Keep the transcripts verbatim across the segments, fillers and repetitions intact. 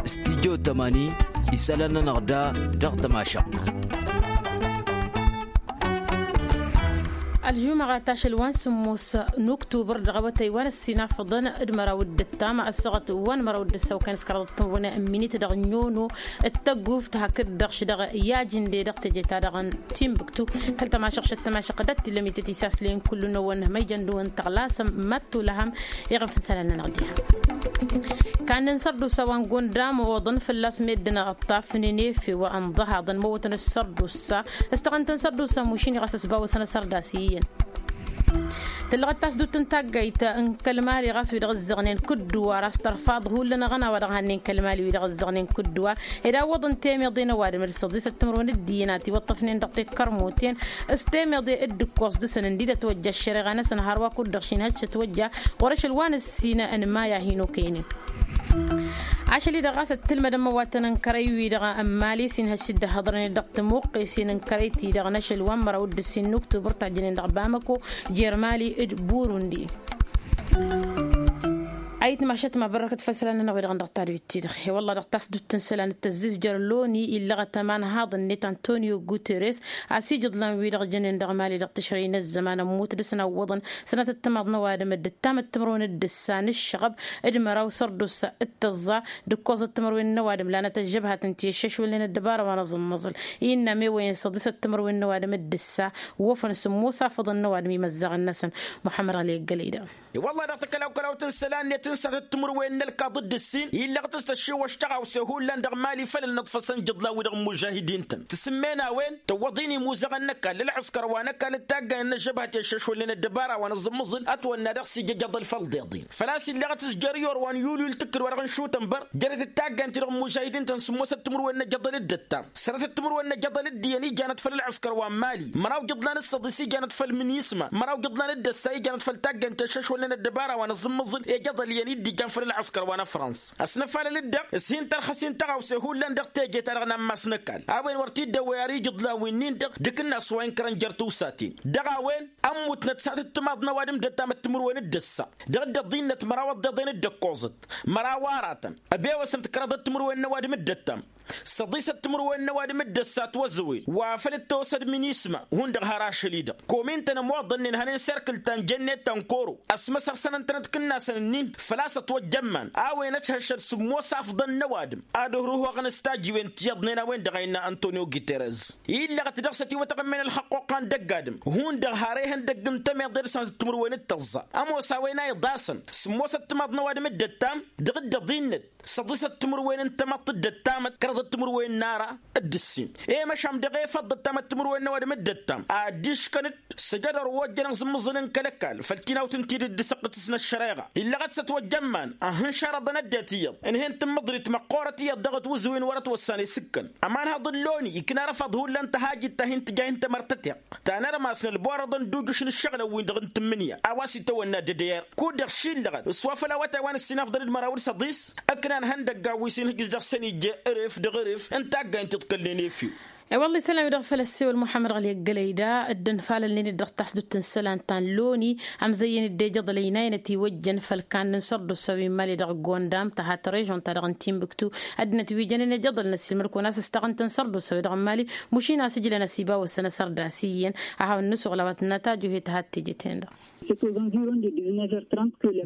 Stijyo tămani isălan-nănăɣ da dăɣ-tămašăɣt. Ălžumăɣa ta ašăl wa n-sǝmmos n-uktubăr dăɣ-awătay wa n-ăssinafăḍăn d-măraw d-ǝttam ăssaɣăt wa n-măraw d-ǝssaw kănăskăraḍăt tǝmrǝwăn n-minit dăɣ-nyono d-tăgguft hakd-dăɣ š-dăɣ i-ajǝnde dăɣ-teje-ta-dăɣ n-timbuktu. Kăl-tămašăɣ šăt tămašăɣ dăɣ-t-illa mităt isaslăyăn kullu-năwăn măyjăn dăɣ-wăn-tăɣlasăm măttu lăhăm. Iɣăf n-isălan-nănăɣ diha kannăn sărdusa wa n-gondam oḍăn fălla-s meddǝn ăṭṭafnen efew ănḍăhaḍăn măwwătăn s-sărdusa s-tăɣăn-tăn sărdusa mušin i-ɣas ăsbawăsăn asărdas iyyăn. Tǝllăɣăt tasdut n-taggayt n-kăl-mali ɣas wi-dăɣ ǝzzăɣnen kǝdduwar a-s tărfaḍ hullan aɣăna wa dăɣ-hannen kăl-mali wi-dăɣ ǝzzăɣnen kǝdduwar ed a ǝwwăḍăn temeḍe n-ăwadǝm d-săḍisăt timǝrwen d-iyyăn a tiwăṭṭăfnen dăɣ-tekkărmoten s-temeḍe d-ǝkkoẓ dăɣ-săn ǝndidăt wăjja ăššăreɣa-năsăn hărwa kud-dăɣ šinhăj s-ătwăjja ɣur-ašăl wa n-ǝssin n-maya hin-okăynen. Ašăl-i-dăɣ ɣas ăttǝlmădăn măwatăn n-kărăy-wi-dăɣ n-mali s-inhăj s-dd-ăhhăḍrănen dăɣ-tămoqqesen n-kărăy-ti-dăɣ n-ašăl wa n-măraw d-ǝssin n-uktubăr tajjănen dăɣ-bamăko jer-mali d-burundi. Ayǝtmašăt mabărrăkăt făll-isălan-nănăɣ wi-dăɣ n-dăɣ-tadwit-ti-dăɣ i-wălla dăɣ-tasdut n-isălan d-tăzzizjăr loni illăɣăt ămanhaḍ-net antonio guterres a-s ijǝḍlan-wi-dăɣ jănen dăɣ-mali dăɣ-tǝšrăy n-ăzzăman ămmut dăɣ-săn ăwwăḍăn sănatăt timaḍ n-ăwadǝm d-ǝttamăt timǝrwen d-ǝssa n-ǝššăɣăb d-măraw sărdusa d-tăẓẓa d-ǝkkoẓăt timǝrwen n-ăwadǝm lanăt ăžžăbhat ǝnta i-ǝššăšwălnen ăddăbara wa n-aẓǝmmăẓǝl. Innă ămewăyăn săḍisăt timǝrwen n-ăwadǝm d-ǝssa wăfăn sǝmmos afăḍăn n-ăwadǝm imăzzaɣăn-năsăn. Muḥămmăd ɣăli ăggălăy da. I-wălla dăɣ-takălawkălawt n-isălan-net n-sănatăt timǝrwen n-ălkaḍ d-ǝssin illăɣ-t s-tăššiwăš tăɣawse hullan dăɣ-mali făll-ănnăḍfăsăn ijǝḍlan-wi-dăɣ n-imužahidin-tăn tǝsǝmmen a-wen tăwwăḍ-in imuzăɣăn n-ăkall ălɣǝskăr wa n-ăkall d-taggayăn n-ăžžăbhat i-ăššăšwălnen ăddăbara wa n-aẓǝmmăẓǝl ătwănna dăɣ-s ija ijăḍăl făll-iḍeḍ-in făl-a-s illăɣ-t s-jer-iyor wa n-yulyu ǝltǝkkǝd wa dăɣ-nǝšutăn băr jărăt d-taggayăn-ti-dăɣ n-imužahidin-tăn sǝmmosăt timǝrwen n-ejăḍăl d-ǝttam sănatăt timǝrwen n-ejăḍăl d-iyyăn ijanăt făll-ălɣǝskăr wa n-mali măraw ijǝḍlan d-săḍis ijanăt făll-minisma măraw ijǝḍlan d-ăssa ijanăt făll-taggayăn ti ăššăšwălnen ăddăbara wa n-aẓǝmmăẓǝl ejăḍăl iyyăn i-dd-ijan făll-ălɣǝskăr wa n-afrans. Ăsnăfalăl-dd-dăɣ s-hin-tărxăs-in tăɣawse hullan dăɣ-teje-ta-dăɣ n-ammas n-ăkall a-wen wăr t-dd-ăwwăy ara ijǝḍlan wi-nin-dăɣ d-akǝnnas wa inkărăn jer-tiwsaten dăɣ-a-wen ămmutnăt s-ad-t-timaḍ n-ăwadǝm d-ăttamăt timǝrwen d-ăssa dăɣ-dd-ăḍinnăt măraw ăḍḍeḍen d-ăkkoẓăt măraw aratăn ăbewăsăn-t kăraḍăt timǝrwen n-ăwadǝm d-ăttam săḍisăt timǝrwen n-ăwadǝm d-ăssa ătwăzăwen wa făl dd-tawăsăd minisma hundăɣ har ašăl-i-dăɣ komin-tăn ămoḍănnen hănen serkǝl ta n-jănnet ta n-koro ăsmăsăr sănăn-tănăt kǝnnasăn-ǝnnin făl-a-s ătwăjjămman a-wen ăthăššăd sǝmmos afḍăn n-ăwadǝm ad-ăhruhăɣăn s-tajiwen ti iyyăḍnen a-wen-dăɣ a innă antonio guterres illăɣăt dăɣ-s ătiwătăɣ ǝmmen ălxăqqoqqa n-dăgg-adǝm hundăɣ har ehăndăgg n-temeḍe dăɣ-săn timǝrwen d-tăẓẓa ămoos a-wen a iḍasăn sǝmmosăt timaḍ n-ăwadǝm d-ăttam dăɣ-dd-ăḍinnăt săḍisăt timǝrwen n-tamăḍt d-ăttamăt kăraḍăt timǝrwen n-ara d-ǝssin i-măšan dăɣ-efăḍ d-ăttamăt timǝrwen n-ăwadǝm d-ăttam a dd-iškăn-dd s-ejădor wa ojjăn aẓǝmmǝẓǝl n-kăl-ăkall făll-tinawt ǝnta-i dd-ǝssăqqǝtǝs n-ăššăreɣa illăɣăt s-ătwăjjămman ăhhǝnšarăḍăn ăddinăt iyyăḍ ǝnhǝyăn tǝmmǝḍrit măqqoorăt iyyăḍ dăɣ-ătwǝzǝwen wăr-ătwăssan isǝkkăn ămanhăḍ n-loni ikna arăfaḍ hullan tăhajit ta hin-tǝja hin-tămărtăteɣt ta n-armas n-ălborăḍăn d-ujǝš n-ǝššăɣǝlăn-win-dăɣ n-tǝmmǝnǝya a-wa s-itawănna d-dd-iyyăr kud-dăɣ šillăɣăt s-wa făll-awătay wa n-ǝssin afḍăl d-măraw d-săḍis ǝknan ihăndăggan wi s-inhǝjǝš dăɣ-săn ija ărǝf dăɣ-ărǝf n-taggaynt iḍkălnen efew. I-wălla isălan-wi-dăɣ făl ăssewăl muḥămmăd ɣăli ăggălăy da dd-ănfalălnen-dd dăɣ-tasdut n-isălan ta n-loni amzăyyăn-dd ejăḍălăy n-aynăt iwăjjăn făll-kannăn sărdusa wi n-mali dăɣ-gondam tăhat režon-ta-dăɣ n-timbuktu. Ăddinăt wi jănen ejăḍălăn ăssiilmăd-kăwăn a-s ǝstaɣăn-tăn sărdusa-wi-dăɣ n-mali mušin a-s ǝjlăn ăsibawăsăn asărdas iyyăn. A hawăn-nǝsuɣǝl a-wa tǝnnăt ajuhet ad-t-eje-ten-dăɣ.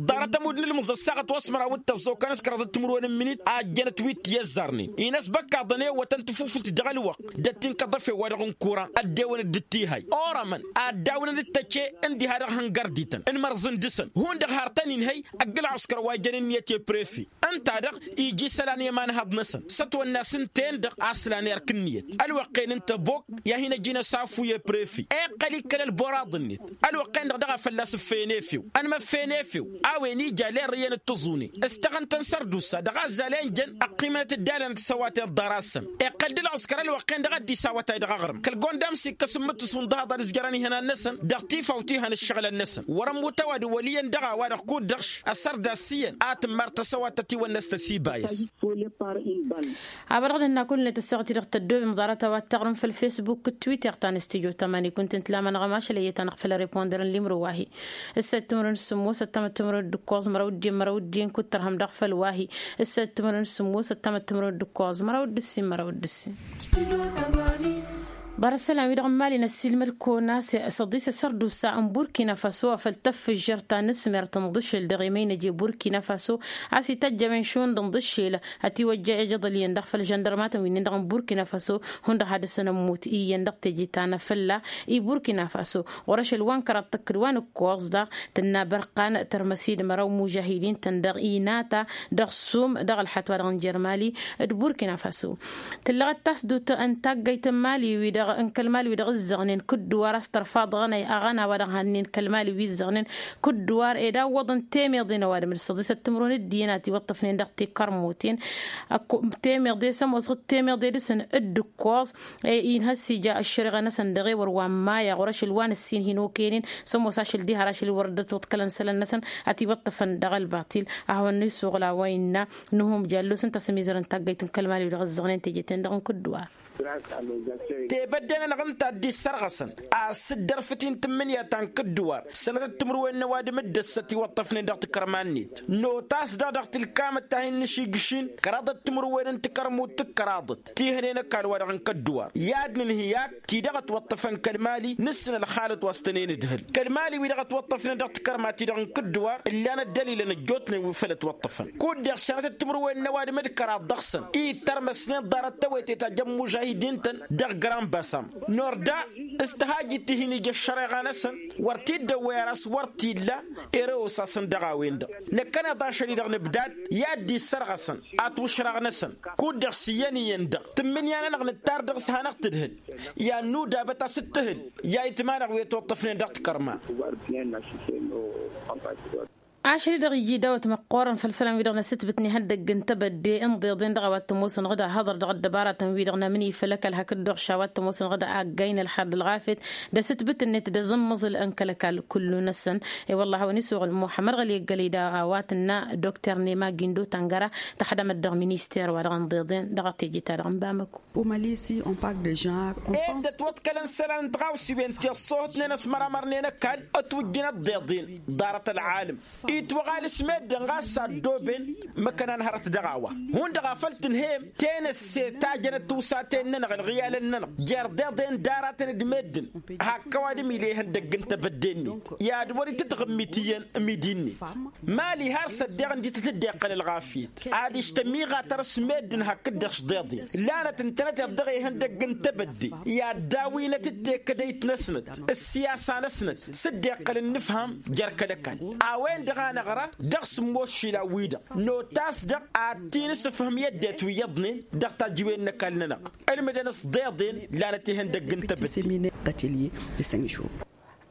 Ḍarăt ămudd n-ǝlmǝẓ ăssaɣăt wa s-măraw d-tăẓẓa okănăs kăraḍăt timǝrwen n-minit a ăjjănăt wi t-iyyăzzarnen-in ăsbăkkaḍăn ewătăn tafufult dăɣ-ălwăqq d-ăttin kăḍăfe wa dăɣ-n-kura ăddewăn dd-tihay orămăn a ăddawǝnăn d-tăce n-diha dăɣ-hăngărdităn n-imărẓǝn dăɣ-săn hundăɣ har tăn-inhăy ăgg-ălɣǝskăr wa jănen iyyăt i-prefe. Ǝnta-dăɣ iji isălan i-imanhăḍ-năsăn s-ătwănna s-ǝnta-en-dăɣ a ǝslan erk ǝnniyăt ălwăqq-en n-tăbok i-ad-hin-ăj inăsafu i-prefe iqqăl-ikkăl ălboraḍ-net. Ălwăqq-en-dăɣ daɣ a fălla-s ǝffeyăn efew ănmăffeyăn efew a-wen ija lerrǝyăn d-tǝẓune s-tăɣăn-tăn sărdusa dăɣ-azzal i-ănjăn ăqqimănăt dd-alănăt s-ăwaten ḍarasăn. Iqqăl-dd ălɣǝskăr ălwăqq-en-dăɣ. Dd-isawătay dăɣ-aɣrǝm kăl-gonda amsikkăs n-imǝttǝs unḍăhaḍ ad-ǝzjărăn ihănan-năsăn dăɣ-tifawt ihăn ǝššăɣǝlăn-năsăn wăr-ămmut ăwadǝm wăl' iyyăn dăɣ-a-wa-dăɣ kud-dăɣ-š ăsărda s-iyyăn ad-tǝmmar tasăwat tătiwănnăs tăsibayăs. Abărăɣ d-ǝnna kull-net ăssaɣăt-i-dăɣ tăddoobem ḍarăt a-wa t-taɣrǝm făll-fesbuk d-twitter ta n-stijo tămani kunta ǝntlamanăɣ ămašăl ăyyăt-anăɣ făll-arepondăr n-limru wa-hi. Ǝssa d-timǝrwen d-sǝmmos ăttamăt timǝrwen d-ǝkkoẓ măraw d-iyyăn măraw d-iyyăn kud-tărhăm dăɣ-făll wa-hi. Ǝssa d-timǝrwen d-sǝmmos ăttamăt timǝrwen d-ǝkkoẓ măraw d-ǝssin măraw d-ǝssin. Ḍarăt sălam-wi-dăɣ n-imali n-ăssiilmăd kăwăn-as săḍisăs ărdusa n-burkina faso afăl tăffǝžžăr ta n-asmert n-iḍǝšǝl dăɣ-emăynăj i-burkina faso. A-s ităjj a-wen šund n-iḍǝšǝl ătiwăjja ejăḍăl iyyăn dăɣ-făll žăndărmatăn wi-nin-dăɣ n-burkina faso. Hundăɣ had-dăɣ-săn ămmut iyyăn dăɣ-teje ta n-afălla i-burkina faso ɣur-ašăl wa n-kăraḍ tăkk d-wa n-ǝkkoẓ daɣ tǝnna bărqan tărmăs-dd măraw mužahidin-tăn dăɣ-inata dăɣ-sum dăɣ-ălxat wa dăɣ-n jer-mali d-burkina faso. Tǝllăɣăt tasdut n-taggayt n-mali-wi-dăɣ n-kăl-mali-wi-dăɣ ǝzzăɣnen kǝddǝwar a-s tărfaḍ aɣăna a-wa-dăɣ hannen kăl-mali-wi ǝzzăɣnen kǝddǝwar ed awwăḍăn temeḍe n-ăwadǝm d-săḍisăt timǝrwen d-iyyăn a tiwăṭṭăfnen dăɣ-tikărmuten. Temeḍe s-ămoos ɣǝd temeḍe dăɣ-săn dd-ǝkkoẓ inhăs ija ăššăreɣa-năsăn dăɣ-ewăr wa n-maya ɣur-ašăl wa n-ǝssin hin-okăynen s-ămoos ašăl diha ar ašăl wăr dd-ătwăḍkălăn isălan-năsăn. Ătiwăṭṭăfăn dăɣ-ălbaṭil ad-hawăn-isuɣǝl a-wa innă nǝhum jallos ǝnta a-s ămizărăn taggayt n-kăl-mali-wi-dăɣ ǝzzăɣnen teje-ten-dăɣ n-kǝddǝwar. Tebădde-nănăɣ ǝnta a dd-issărɣăsăn a-s dd-ărfǝt-in tǝmmǝnǝya ta n-kǝddǝwar sănătăt timǝrwen n-ăwadǝm d-ăssăt iwăṭṭăfnen dăɣ-tikărma-net. Notas-dăɣ dăɣ-tilkamăt ta hin-nǝšigǝšin kăraḍăt timǝrwen n-tikărmut tǝkkăraḍăt tihănen ăkall-wa-dăɣ n-kăddǝwar i-ad-nǝnhǝy ak ti-dăɣ ătwăṭṭăfăn kăl-mali nǝssǝn ălxalăt wa s-tănen ǝdhǝl. Kăl-mali-wi-dăɣ ătwăṭṭăfnen dăɣ-tikărma-ti-dăɣ n-kǝddǝwar ǝllan ăddălilăn ăjjootnen wi făl ătwăṭṭăfăn kud-deɣ šănătăt timǝrwen n-ăwadǝm d-kăraḍ dăɣ-săn i-tărmăsnen ḍarăt tawăyte ta jăn-mužahidin-tăn dăɣ-grăn basam. Norda s-tăhajit ti hin-ija ăššăreɣa-năsăn wăr t-dd-ăwwăy ar a-s wăr t-illa. Ere osasăn dăɣ-a-wen-dăɣ năkkăneḍ ašăl-i-dăɣ nǝbdad i-ad-dd-issărɣăsăn atwǝšraɣ-năsăn kud-dăɣ s-iyyăn iyyăn-dăɣ tǝmmǝnǝya-nănăɣ nǝttar dăɣ-s hanăɣ-tǝdhǝl. I-ad-nudabăt a-s dd-tǝhǝl i-ayǝtma-năɣ wi ătwăṭṭăfnen dăɣ-tikărma. Ašăl-i-dăɣ iji dawăt măqqoorăn făll-isălan-wi-dăɣ n-asǝtbǝt n-ihăndăgg n-tebădde n-iḍeḍen dăɣ-a-wa t-ămoosăn ɣǝd ahăḍăr dăɣ-ăddăbaratăn-wi-dăɣ n-amǝnǝy făll-ăkall hakd-dăɣ š-a-wa t-ămoosăn ɣǝd aggay n-ălxer d-ălɣafyăt d-asǝtbǝt-net d-azǝmmăẓǝl n-kăl-ăkall. Kullu-năsăn i-wălla a hawăn-isuɣǝl muḥămmăd ɣăli ăggălăy d-a-wa tǝnna dokter nema gindo tangăra tăxdămăt dăɣ-minister wa dăɣ-inḍeḍen dăɣ-teje-ta-dăɣ n-bamăko. Au mali si on park de genre on pense. Ed ătwăḍkălăn isălan n-tiɣawsiwen ti ăṣṣoohătnen ăsmăramărnen ăkall ătwǝjjǝn ăḍḍeḍen ḍarăt ălɣalăm itwăɣal s-meddǝn ɣas s-addooben. Măkkănan hărăt dăɣ-a-wa hundăɣ a făl tǝnhăyăm tenăsse ta jănăt tiwsaten-nănăɣ ălɣiyalăn-nănăɣ jer-deḍen d-aratăn d-meddǝn. Hak ăwadǝm ila ihăndăgg n-tebădde-net i-ad-wăr-itǝtɣǝmmit iyyăn. Midi-net mali har s-ăddeɣ ǝndităt dd-iqqăl ălɣafyăt ad-ǝštămiɣatăr s-meddǝn hakd-dăɣ s-deḍen. Lanăt ǝntănăteḍ dăɣ-ihăndăgg n-tebădde i-ad-dawinăt d-tekădăyt-năsnăt ǝssiyasa-năsnăt s-dd-iqqăl ǝnnǝfham jer-kăl-ăkall. A-wen-dăɣ a năɣra dăɣ-sǝmmos išilan-wi-dăɣ notas-dăɣ ad-t-in-ǝssǝfhǝm i-ăddinăt wi iyyăḍnen dăɣ-tajǝwen n-ăkall-nănăɣ. Ǝlmǝdăn s-deḍen lanăt ihăndăgg n-tebădde.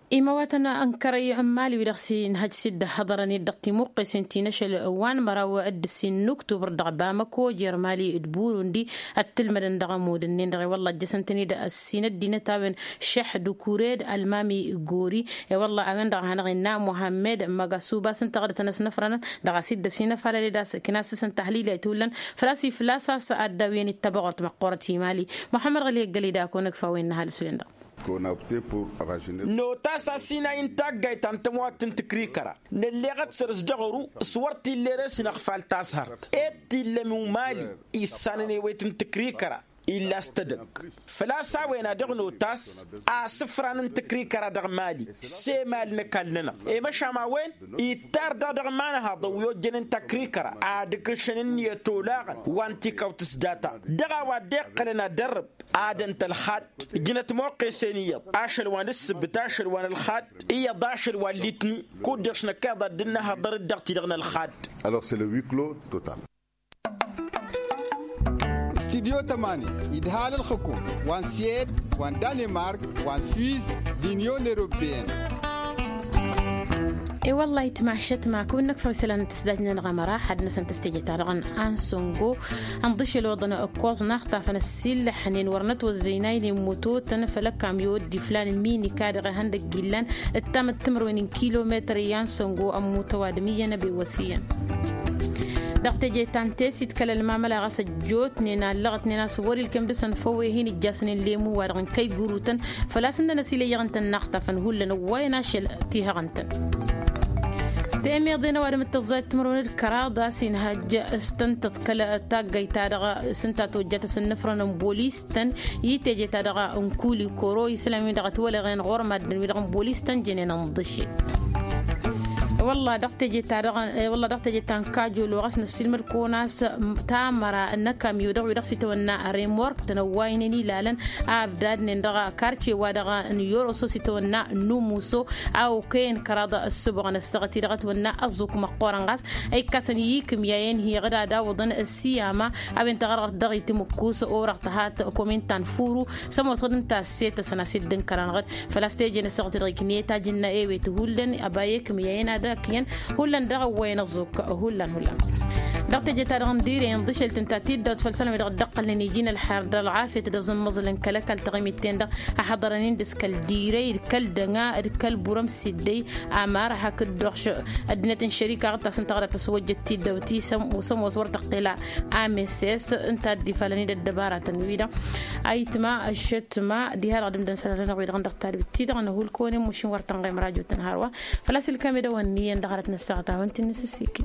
Imăwatăn n-kărăy n-mali wi-dăɣ s-inhăj s-dd-ăhhăḍărăn-dd dăɣ-timuqqesen ti n-ašăl wa n-măraw d-ǝssin n-uktubăr dăɣ-bamăko jer-mali d-burundi. Ăttǝlmădăn dăɣ-ămudd-ǝnnin-dăɣ i-wălla ăjjăsăn-tăn-dd ăssin ăddinăt a-wen šăḥ d-ukure d-almami gori. I-wălla a-wen-dăɣ a hanăɣ-innă muhammed măgasuba s-ǝnta ɣǝdătăn ăsnăfrănăn dăɣ-a-s dd-ăsinăfalăled a-s kănasăsăn tahlila itwǝllăn. Făl-a-s iflas a-s ăddawǝyăn ittăbăɣort măqqoorăt i-mali. Muhammed ɣăli ăggălăy d-akăwăn ǝkfa a-wen n-ăhalǝs-wen-dăɣ. Notas asinay n-taggayt ta n-tămwat n-tǝkrikăra nălleɣăt săr-s dăɣ-ăru s-wăr t-illa ere-s năɣfal tashărt ed t-illăm i-umali issanăn ewet n-tǝkrikăra. Illa s-tădăgg făl-a-s a-wen a dăɣ-notas asǝfran n-tǝkrikăra dăɣ-mali s-emal n-ăkall-nănăɣ. Emăšam a-wen ittar daɣ dăɣ-imanhaḍăn wi ojjănen takrikăra ad-ǝkrǝšăn ǝnniyăt olaɣăn wa n-tikawt s-data dăɣ-a-wa dd-iqqălăn ad-ărrǝb. Ad-ǝnta ălxadd ǝjnăt moqqesen iyyăḍ ašăl wa n-ǝssǝbbǝt ašăl wa n-ălxadd iyyăḍ ašăl wa n-litni. Kud-dăɣ š-năkk iyyăḍ ad-dd-nǝhhăḍăr dd-dăɣ-t-dăɣ n-ălxadd. Alors cest le huis clos total. Studio tămani idhal ălxǝkum wa n-sued wa n-danemark wa n-suis d-union europeen. E-wălla-hi tmašăt ma kăwăn-năkfăɣ isălan n-tǝsdajnen ɣamăra had-năsăn tăstejăt-ta-dăɣ n-ansăngo. Ănḍǝšel oḍăn ǝkkoẓ n-axṭafăn ăssiillăḥnen wăr nătwăzzăynaynen mutotăn făll-ăkkamyo dd-iflan n-minika dăɣ-ihăndăgg illan ǝttamăt timărwen n-kilometăr i-ansăngo ămmut ăwadǝm iyyăn ăbewăs iyyăn. Dăɣ-teje ta n-tesit kăl-ălmamăla ɣas ăjjootnen allăɣătnen a-s wăr-ilkem dăɣ-săn făw e-hin ǝjjasnen lemu-wa-dăɣ n-kăy-gurutăn făl-a-s ǝnnăn ăsilăyyăɣ ǝnta n-inaxtafăn hullan ăwwayăn ašăl tihăɣ ǝntăn. Temeḍe n-ăwadǝm d-tăẓẓayăt timărwen d-kăraḍ a-s inhăjj s-tăn-tăḍkăl taggayt-ta-dăɣ s-ǝnta tojjat s-ǝnnǝfrăn n-bolis-tăn i-teje-ta-dăɣ n-kuli koro isălan-win-dăɣ ătwălăɣen ɣur-maddǝn-wi-dăɣ n-bolis-tăn jănen ǝnḍǝšel. Wălla dăɣ-teje-ta-dăɣ wălla dăɣ-teje ta n-kajolo ɣas năssiilmăd kăwăn-as tamăra n-ăkkamyo dăɣ-wi-dăɣ s-itawănna remork-tăn ăwwaynen ilalăn a ăbdadnen dăɣ-karce-wa-dăɣ n-yoroso s-itawănna n-numuso a okăyăn kăraḍ ăssubăɣăn ăssaɣăt-i-dăɣ ătwănna ăẓẓuk măqqoorăn ɣas a ikkasăn i-ikǝmyayen hi-iɣǝd ad-awǝḍăn ăssiyama a-wen tăɣărɣărt dăɣ-itǝmǝkkus orăɣ tăhat komin ta n-furu s-ămoosăɣ d-ǝnta a ăssetăsăn a-s dd-ǝnkăr-anăɣ-dd făl-a-s teje n-ăssaɣăt-i-dăɣ ikniyăt ajǝnna ewet hullan ăba i-ikǝmyayen ad-ăkk iyyăn hullan dăɣ-ăwwăyăn ăẓẓuk hullan hullan. Dăɣ-teje-ta-dăɣ n-direy ǝnḍǝšel tǝnta tiddawt făll-isălan-wi-dăɣ dd-ăqqălnen iji n-ălxer d-ălɣafyăt d-aẓǝmmăẓǝl n-kăl-ăkall taɣimit-ten-dăɣ a ḥăḍărăn-in dăɣ-s kăl-direy d-kăl-dăŋa d-kăl-burăm s-iddăy amar hakd-dd-oɣš ăddinăt n-šărika ɣǝttas n-taɣra tăswăjjăt tiddawt-i s-ămoos wăr tăqqel a ameses ǝnta a dd-ifalăn-dd ăddăbaratăn-wi-dăɣ. Ayǝtma ăššătma diha-dăɣ d-ǝmdăn sănălănăɣ-wi-dăɣ n-dăɣ-tadbit-ti-dăɣ n-ăhulkăwăn i-mušin wăr tăn-ɣemăr ajotăn hărwa. Făl-a-s ilkam edăwănni i-ăndăɣ hărăt n-ăssaɣăt a wăn-t-in-nǝsǝssikǝy.